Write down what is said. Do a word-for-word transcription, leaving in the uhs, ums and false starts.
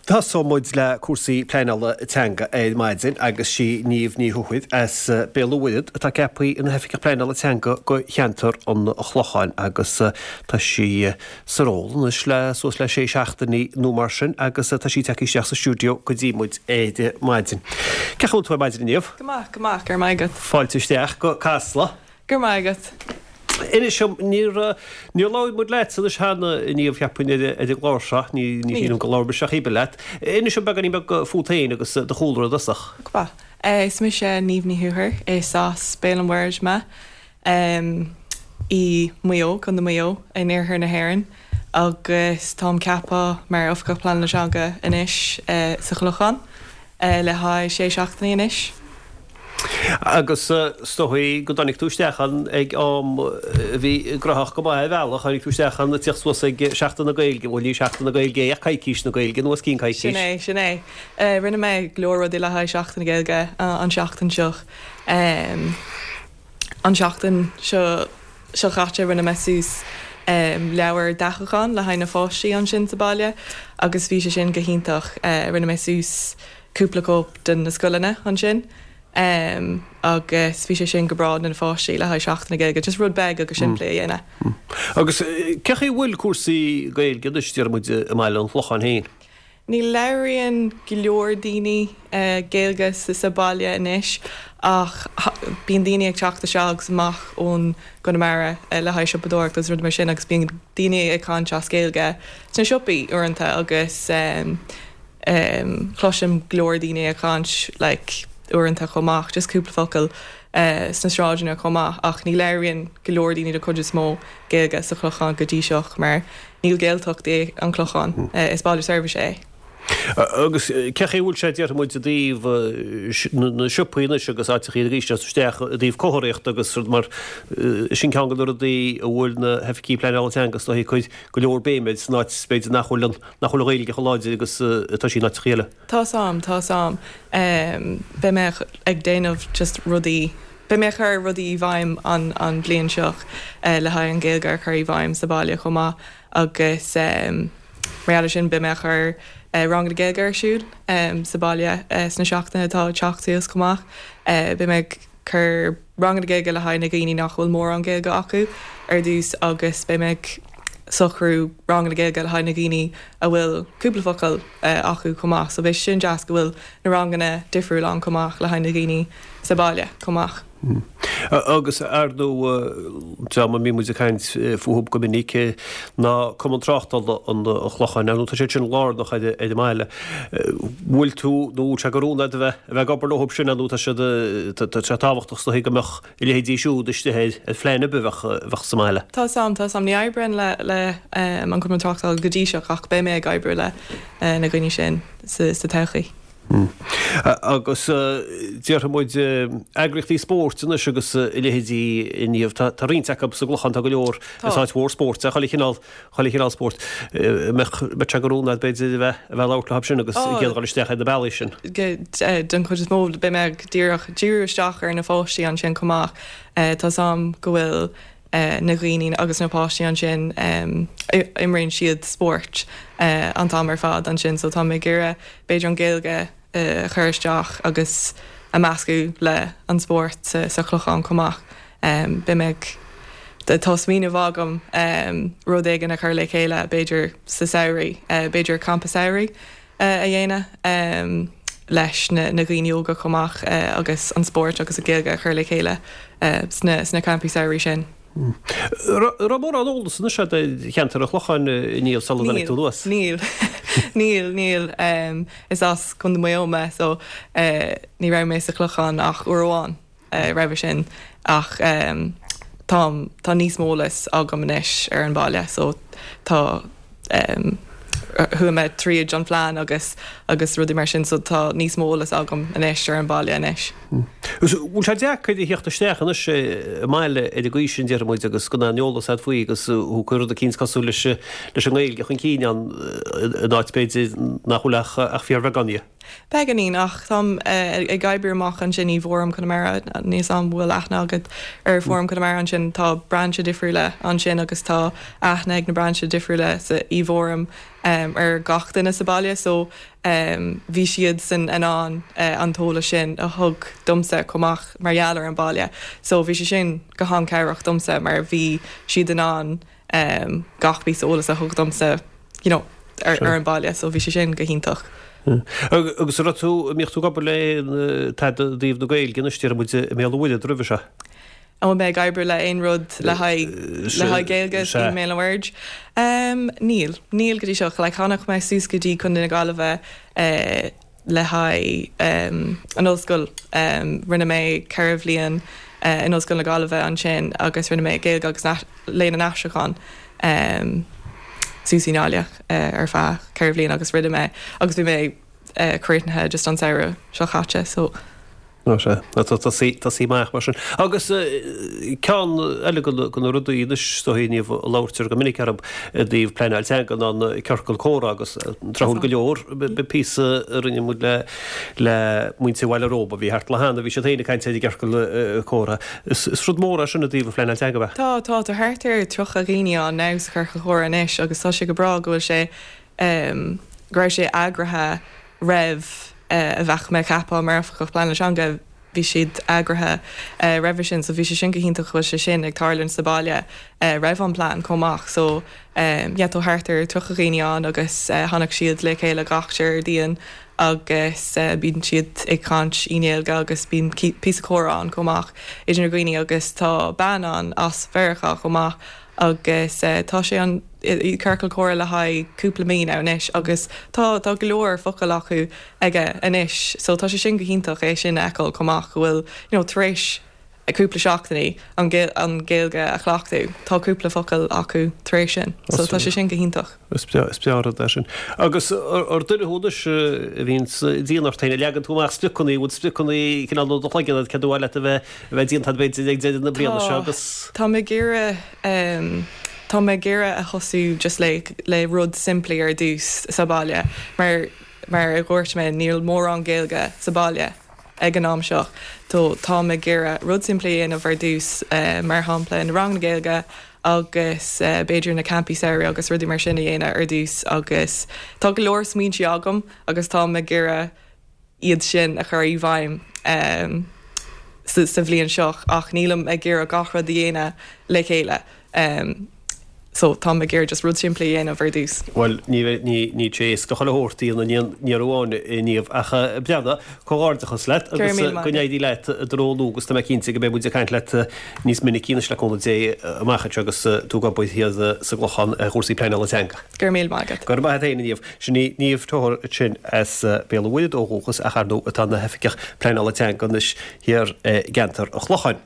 Tosóidh muid le cúrsaí pleanála teanga ar maidin agus sí Niamh Ní Thuathail as Béal an Mhuirthead atá ceaptha ina hOifigeach Pleanála Teanga go cheantar an Chlocháin agus tá sí sa ról anois le suas le sé seachtainí nó mar sin agus tá sí tagtha isteach sa stiúideo go dtí muid ar maidin. Cén chaoi a bhfuil tú ar maidin Niamh? Go maith, go maith, go raibh maith agat. Fáilte isteach go Casla. Go raibh maith agat. Inis dom níor níor labhair muid leat anois cheana a Niamh cheapfainn ar ar an gclár seo, ní ní shílim go labhair mise ach oiread leat. Inis dom beagáinín beag fút féin agus do chúlra i dtosach. Go maith. Is mise Niamh Ní Thuathail, is as Béal an Mhuirthead mé i Maigh Eo, Contae Mhaigh Eo in iarthar na hÉireann agus táim ceaptha mar Oifigeach Pleanála Teanga anois sa Chlochán le haghaidh sé seachtainí anois. Agus is dóigh go dtáinig tú isteach ann ag am a bhí graitheach go maith ar bhealach, tháinig tú isteach ann ag tíocht suas ag Seachtain na Gaeilge, bhuel ní Seachtain na Gaeilge é ach coicís na Gaeilge nó os cionn coicís. Sin é, sin é. Rinne mé go leor rudaí le haghaidh Seachtain na Gaeilge an seachtain seo. An seachtain seo seo chaite rinne mé suas leabhar dathúcháin le haghaidh na pháistí ansin sa baile agus bhí sé sin go hiontach. Rinne mé suas cúpla cóip de na scoileanna ansin. Um, agus bhí sé sin go breá na pháistí le haghaidh Seachtain na Gaeilge, just rud beag agus simplí a dhéanamh. Agus cén chaoi a bhfuil cúrsaí Gaeilge anois deir muid i mBaile an Chlocháin féin? Ní labhraíonn go leor daoine uh, Gaeilge sa, sa baile anois ach bíonn daoine ag teacht isteach agus amach ón gConamara uh, le haghaidh siopadóireacht agus rud mar sin agus bíonn daoine ag caint as Gaeilge sna siopaí uaireanta agus um, um, cloisim go leor daoine ag caint like, uaireanta chomh maith, just cúpla focal uh, sna sráideanna chomh maith ach ní labhraíonn go leor daoine de chuid is mó Gaeilge sa Chlochán go dtí seo mar níl Gaeltacht é an Clochán mm. uh, is baile seirbhíse é. Agus cén chaoi a bhfuil sé déarfaidh muid i dtaobh na siopaí anois agus áiteachaí arís isteach i dtaobh comharthaíocht agus mar sin ceann de na rudaí a bhfuil na hoifigigh pleanála teanga is dóigh ag cur go leor béime san áit b'fhéidir nach bhfuil nach bhfuil an Ghaeilge chomh láidir agus atá sí in áiteachaí eile. Tá sam, tá sam. Um, Beidh mé ag déanamh just rudaí Beidh mé chur rudaí i bhfeidhm an, an bliain seo uh, le haghaidh an Ghaeilge a chur i bhfeidhm sa baile chomh maith agus um, mar sin beidh mé chur uh, rang na Gaeilge ar siúl um, sa baile uh, sna seachtaine atá teacht suas chomh maith. Uh, beidh mé chur rang na Gaeilge le haghaidh na daoine nach bhfuil mórán Gaeilge acu ar dtús agus beidh mé socrú rang na Gaeilge le haghaidh na daoine a bhfuil cúpla focal uh, acu chomh maith, so beidh sin deas go bhfuil na ranganna difriúil ann chomh maith le haghaidh na daoine sa baile chomh maith. Mm. Agus ar ndóigh dream a mbíonn muid ag caint fúthu go minic ná Cumann Tráchtála an Chlocháin, nó tá sé sin lárnach ar ar an mbaile. Bhfuil tú nó sé go rún a bheith a bheith ag obair leo sin nó tá sé tá sé tábhachtach sa go mbeadh a leithéidí siúd istigh ar ar phlean a bheadh bheadh sa mbaile. Tá sam tá sam ní oibrím le le um, an Cumann Tráchtála go dtí seo ach beidh mé ag oibriú le uh, na daoine sin sa, sa todhchaí. Mm. Agus déarfaidh muid eagraíochtaí spóirt anois agus a leithéidí inniu tá roinnt acu sa gClochán tá go leor is áit mhór spóirt a chuile chineál chuile chineál spóirt mbeadh sé go rún b'fhéidir a bheith a bheith labhairt leo sin agus ag iarraidh dul isteach ar na bealaí sin. Den chuid is mó beidh mé díreach díriú isteach ar na pháistí ansin chomh maith Tá sam go bhfuil Uh, na daoine agus na páistí ansin um, imríonn siad spórt uh, an t-am ar fad ansin, so tá mé ag iarraidh b'fhéidir an Ghaeilge uh, chur isteach agus a meascadh le an spórt sa, sa Chlochán chomh maith. Um, Beidh mé tá smaoineamh agam um, rud éigin a chur le chéile b'fhéidir sa samhradh, uh, b'fhéidir campa samhraidh uh, a dhéanamh um, leis na, na daoine óga chomh maith uh, agus an spórt agus an Ghaeilge a chur le chéile uh, sna, sna campaí samhraidh sin. Raibh mórán eolas anois de cheantar an Chlocháin níl sula dtáinig tú anuas. Níl níl níl um, is as Contae Mhaigh Eo mé so uh, ní raibh mé sa Chlochán ach uair amháin uh, roimhe sin ach um, tá tá níos mó eolas agam anois ar an baile so tá um, chuaigh mé tríd an phlean agus agus rudaí mar sin so tá níos mó eolas agam anois ar an baile anois. Bhfuil sé deacair a theacht isteach anois i mbaile ar an gcaoi sin déarfaidh muid agus gan aon eolas agat faoi agus thú ag cur rud eicínt cosúil leis leis an nGaeilge chun cinn an in áit b'fhéidir nach bhfuil ach ach fíorbheagán di. Beagáinín ach táim ag oibriú amach ansin i bhFóram Conamara níl a fhios agam an bhfuil aithne agat ar Fóram Conamara ansin tá brainse difriúla ansin agus tá aithne ag na brainse difriúla sa i bhFóram um, ar gach duine sa baile so um, bhí siad san in ann uh, an t-eolas sin a thug domsa chomh maith mar gheall ar an baile so bhí sé sin go han-chabhrach domsa mar bhí siad in ann um, gach píosa eolas a thug domsa you know, ar, ar an baile so bhí sé sin go hiontach. Agus ra tú míoch tú gobar le tada díobh na Gaeilge na stir mu mé bhfuil druimh se. An bhfuil mé ag oibriú le aon rud le haghaidh le haghaidh Gaeilge i mBéal an Mhuirthead. Um, níl, níl go dtí seo le tháinig mé suas go dtí Contae na Gaillimhe uh, le haghaidh um, an ollscoil um, rinne mé ceithre bhliain uh, in Ollscoil na Gaillimhe ansin agus rinne mé Gaeilge agus Léann an Aistriúcháin. Um, suas i nGaillimh uh, ar feadh ceithre bhliain agus rinne mé agus bhí mé uh, críochnaithe just an samhradh seo caite so No sé tá sí maith mar sin. Agus ceann eile de na rudaí anois a labhraítear go minic orthu i dtaobh pleanáil teanga an ciorcal comhrá agus tráthúil go leor píosa a rinne muid le le muintir Bhaile Róba bhí thart le hana bhí siad féin ag caint ar ciorcal comhrá. Is rud mór é sin i dtaobh pleanáil teanga. Tá tá tá thart ar tríocha daoine ann now sa ciorcal comhrá anois agus tá sé go breá go bhfuil sé um, go raibh sé eagraithe roimh uh, a bheith mé ceaptha mar oifigeach pleanála teanga bhí siad eagraithe uh, roimhe sin, so bhí sé sin go hiontach bhfuil sé sin ag tarlú sa baile uh, roimh an plean chomh maith so um, yeah, tá thart ar tríocha daoine ann agus uh, tháinig siad le chéile gach Déardaoin agus uh, bíonn siad ag caint i nGaeilge agus bíonn píosa comhrá ann chomh maith idir na daoine agus tá bean ann as Meiriceá chomh maith agus uh, tá sé an i ciorcal comhrá le haghaidh cúpla mí anois agus tá tá go leor focal acu aige anois so tá sé sin go hiontach é sin a fheiceáil chomh maith go bhfuil you know, tar éis a cúpla seachtainí an an Gaeilge a chleachtadh tá cúpla focal acu tar éis sin so tá sé sin go hiontach. Is breá é sin. Agus ar duine thú anois a bhíonn dian ort féin leagann tú amach spriocanna bhfuil spriocanna cineál do chloigeann cad ba mhaith leat a bheith a bheith déanta b'fhéidir ag deireadh na bliana seo agus. Tá mé ag iarraidh Tá mé ag iarraidh a thosú just le le rud simplí ar dtús sa baile mar mar a dúirt mé níl mórán Gaeilge sa baile ag an am seo. Tó tá mé ag iarraidh rud simplí a dhéanamh ar dtús uh, mar shampla na ranganna Gaeilge agus uh, b'fhéidir na campaí samhraidh agus rudaí mar sin a dhéanamh ar dtús agus tá go leor smaointe agam agus tá mé ag iarraidh iad sin a chur i bhfeidhm um, sa, sa bhliain seo ach nílim ag iarraidh gach rud a dhéanamh le chéile. Um, so tá mé ag iarraidh just rud simplí a dhéanamh ar dtús. Well ní ní ní éasca go chuile shórt a dhéanamh ní amháin Niamh ach breanda comhghairdeachas leat agus go n-éirí leat i do ról nua agus tá mé cinnte go mbeidh muid ag caint leat níos minicí anois le cúnamh Dé amach anseo agus tú ag obair thiar sa gClochán ar chúrsaí pleanála teanga. Go raibh míle maith agat. Go raibh maith agat féin Niamh. Sin í Niamh Toher sin as Béal an Mhuirthead ó dhúchas ach ar ndóigh atá ina hoifigeach pleanála teanga anois thiar i gceantar an Chlocháin.